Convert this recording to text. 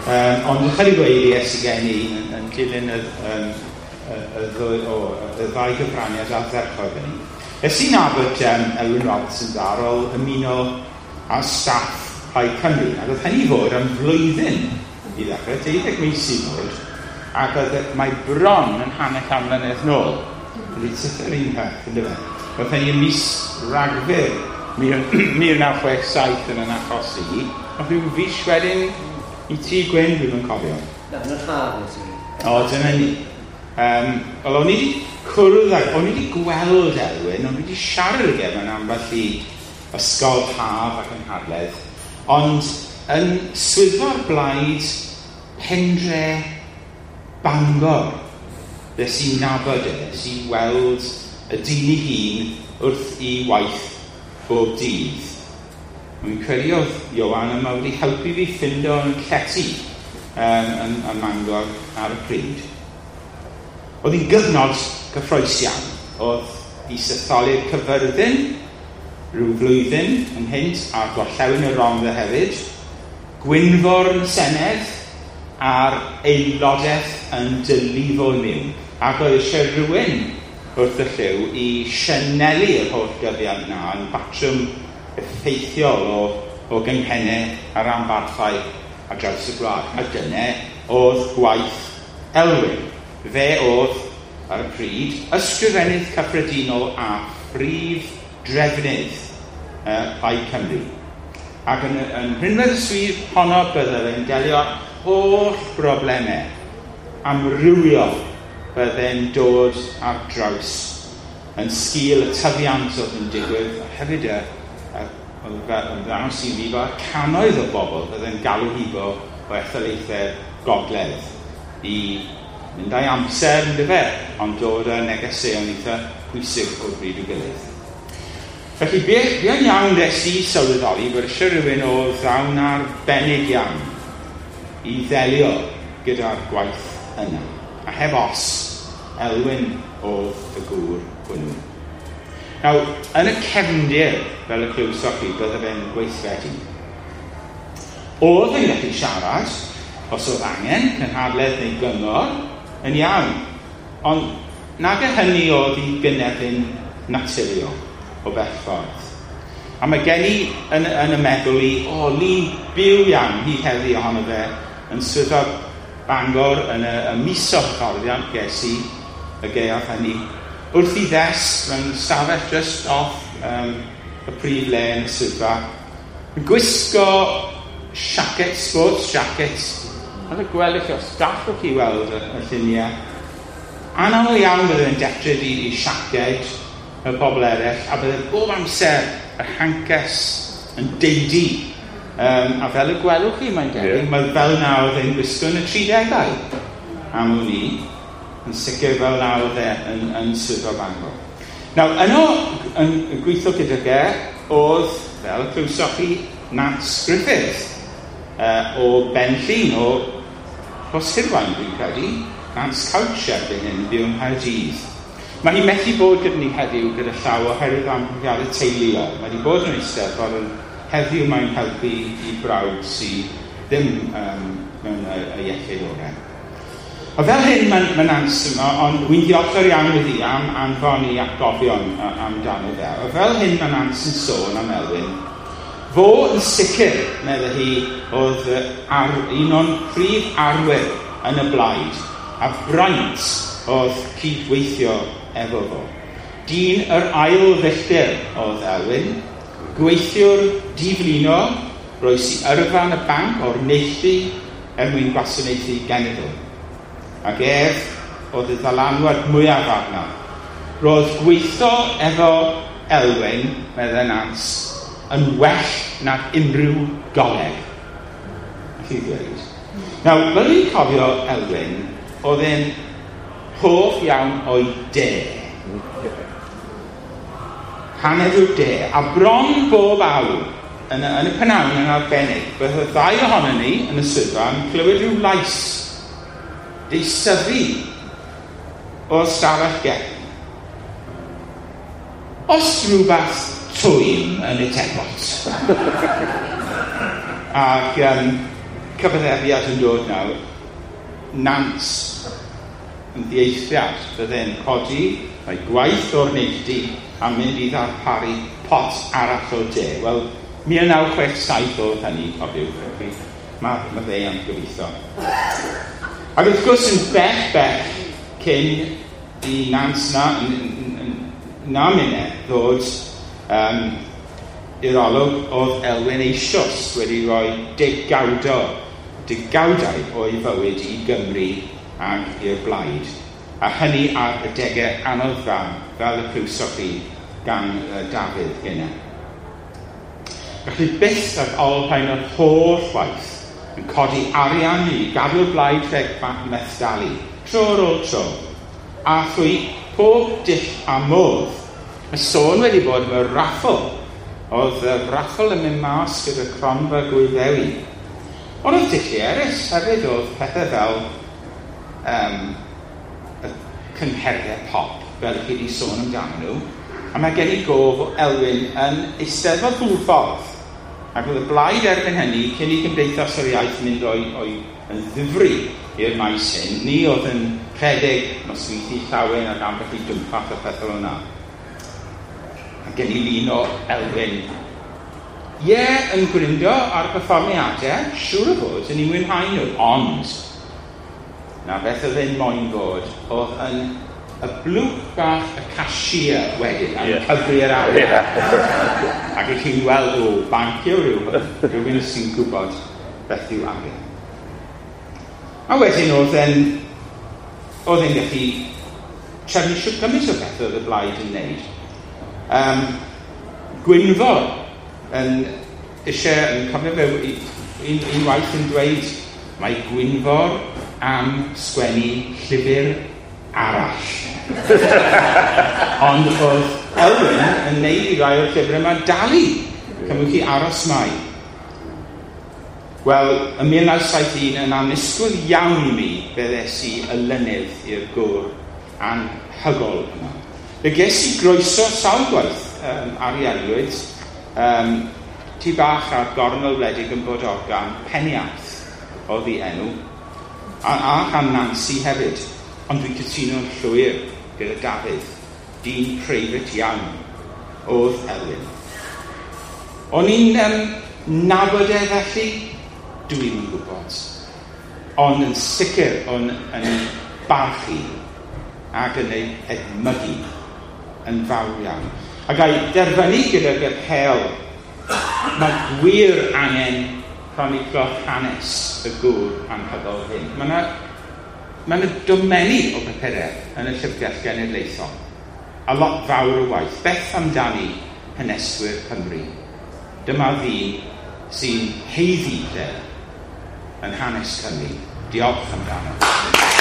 Ond ychydig o eiriau sydd gen i yn dilyn y ddau gyfraniad ardderchog hynny. Es i nabod Elwyn Roberts yn dda ar ôl ymuno â staff Plaid Cymru, ac oedd hynny fod am flwyddyn i ddechrau, 12 mis i fod, ac oedd mae bron yn hanner can mlynedd nôl. Wedi tyfu'r un peth, yndyfe? Oedd hynny ym mis Rhagfyr 1967 yn achos i, ond rhyw fis wedyn i ti, Gwyn, dwi'm yn cofio. Na, yn yr haf nes i. O, dyna ni. Wel, o'n i wedi cwrdd ag, o'n i wedi gweld Elwyn, o'n i wedi siarad ag e mewn ambell i ysgol haf ac ynghadledd, ond yn swyddfa'r blaid Pendre Bangor, nes i nabod e, nes i weld y dyn ei hun wrth i waith bob dydd. Dwi'n credu oedd Ioan yma wedi helpu fi ffindo yn llety yn Mangor ar y pryd. Oedd hi'n gyfnod gyffrous iawn. Oedd isetholiad Cyfyrddin rhyw flwyddyn ynghynt, a gorllewin y Rhondda hefyd, Gwynfor yn y Senedd, a'r aelodaeth yn dylifo i mewn. Ac oedd eisiau rhywun wrth y llyw i sianelu yr holl gyfiant na yn batrwm effeithiol o gynghennau a ranbarthau ar draws y gwlad. A dyna oedd gwaith Elwyn. Fe oedd, ar y pryd, ysgrifennydd cyffredinol a phrif drefnydd Plaid Cymru. Ac yn rhinwedd y swydd honno bydde fe'n delio â'r holl broblemau amrywiol bydde'n dod ar draws yn sgil y tyfiant oedd yn digwydd, a hefyd oedd ddangos i fi fel cannoedd o bobl bydde'n galw hibo o etholaethau gogledd i mynd â'i amser, yndyfe, ond dod â negeseuon eitha pwysig o bryd i'w gilydd. Felly, buan iawn nes i sylweddoli bod eisiau rhywun o ddawn arbennig iawn i ddelio gyda'r gwaith yna. A heb os, Elwyn oedd y gŵr hwnnw. Nawr, yn y cefndir, fel y clywsoch chi, bydde fe'n gweithredu. Oedd yn gallu siarad, os oedd angen, cynhadledd neu gyngor, yn iawn. Ond nag y hynny oedd i gynefin naturiol o bell ffordd. A mae gen i yn y meddwl i, lun byw iawn hyd heddi ohono fe yn swyddfa Bangor yn y mis o hyfforddiant ges i y gaeaf hynny, wrth i ddesg mewn stafell just off y prif le yn y swyddfa, yn gwisgo siacet, sports jacket, fel y gwelwch chi, os gallwch chi weld y lluniau. Anaml iawn bydde fe'n detryd i siaced y pobl eraill, a bydde bob amser yr hancas yn deidi. A fel y gwelwch chi, mae'n debyg, mae fel na oedd e'n gwisgo yn y 30au, am wn i, yn sicr fel na oedd e yn swyddfa Bangor. Nawr, yno, yn gweithio gydag e, oedd, fel y clywsoch chi, Nance Griffith, o Benllyn, o Rhoshirwaun, dwi'n credu, Nance Couch erbyn hyn, byw yng Nghaerdydd. Mae hi methu bod gyda ni heddiw gyda llaw oherwydd amgylchiadau teuluol. Mae wedi bod yn Eisteddfod, ond heddiw mae'n helpu i brawd sydd ddim mewn y iechyd orau. A fel hyn mae Nance yma, ond wy'n ddiolchgar iawn iddi am anfon i atgofion amdano fe. A fel hyn mae Nance yn sôn am Elwyn. Fo yn sicr, meddai hi, oedd un o'n prif arwyr yn y blaid, a braint oedd cydweithio efo fo. Dyn yr ail filltir oedd Elwyn, gweithiwr diflino, roes i yrfa yn y banc o'r neilltu er mwyn gwasanaethu genedl. Ac ef oedd y ddylanwad mwyaf arno. Roedd gweithio efo Elwyn, meddai Nance, yn well nag unrhyw goleg. Allu ddweud. Nawr, fel dwi'n cofio Elwyn, oedd e'n hoff iawn o'i de. Paned o'r de, a bron bob awr, yn y pnawn yn arbennig, bydd y ddau ohonon ni yn y swyddfa yn clywed rhyw lais deisyfu o'r stafell gefn. Os rhywbeth twym yn y tebot. Ac cyfaddefiad yn dod nawr, Nant yn ddieithriad, fydde'n codi mae gwaith o'r neilltu a mynd i ddarparu pot arall o de. Wel, 1967 oedd hynny, cofiwch, felly mae fe am gobeithio. Ac wrth gwrs yn bell bell cyn i Nant na minne ddod i'r olwg, oedd Elwyn eisoes wedi rhoi degawdau o'i fywyd i Gymru ac i'r blaid. A hynny ar y degau anodd fel y clywsoch chi gan Dafydd gynne. Felly byth ac olrhain yr holl waith yn codi arian i gadw'r blaid rhag methdalu, tro ar ôl tro, a thrwy pob dull a modd. Mae sôn wedi bod am y raffl. Oedd y raffl yn mynd mas gyda cronfa Gŵyl Ddewi. Ond oedd dulliau eraill hefyd, oedd pethau fel y cyngherddau pop, fel chi wedi sôn amdano nhw. A mae gen i gof o Elwyn yn Eisteddfod Hwlffordd. Ac oedd y blaid erbyn hynny, cyn i Gymdeithas yr Iaith mynd o'i yn ddifri i'r maes hyn, ni oedd yn rhedeg nosweithiau llawen ac ambell i dwmpath a pethau fel yna. A gen i lun o Elwyn. Ie, yn gwrindo ar perfformiadau, siŵr o fod, yn ei mwynhau nhw, ond na beth oedd e'n moyn fod, oedd yn y blwch bach y cashier wedyn, a'n cyfri'r arian. Ac ych chi'n weld, o, bancio rhywun sy'n gwybod beth yw arian. A wedyn oedd e'n gallu trefnu shwt gymaint o beth oedd y blaid yn wneud. Gwynfor yn eisiau, yn cofio fe un waith yn dweud, mae Gwynfor am sgwennu llyfr arall. Ond oedd Elwyn yn neud i rai o'r llyfrau yma dalu. Cymwch chi aros mai. Wel, ym 1971 yn annisgwyl iawn i mi fe ddes i olynydd i'r gŵr anhygol yma. Fe ges i groeso sawl gwaith ariannwyd tŷ bach ar gornel wledig yn Bodorgan, Peniarth oedd ei enw, a gan Nancy hefyd. Ond dwi'n cytuno'n llwyr gyda Dafydd, dyn preifat iawn oedd Elwyn. O'n i'n nabod e felly? Dwi'm yn gwybod. Ond yn sicr o'n yn ei barchu ac yn ei edmygu yn fawr iawn. A ga i derfynu gydag apêl, mae gwir angen croniclo hanes y gŵr anhygoel hyn. Mae yna domenni o bapurau yn y Llyfrgell Genedlaethol, a lot fawr o waith. Beth amdani haneswyr Cymru? Dyma ddyn sy'n haeddu lle yn hanes Cymru. Diolch amdano.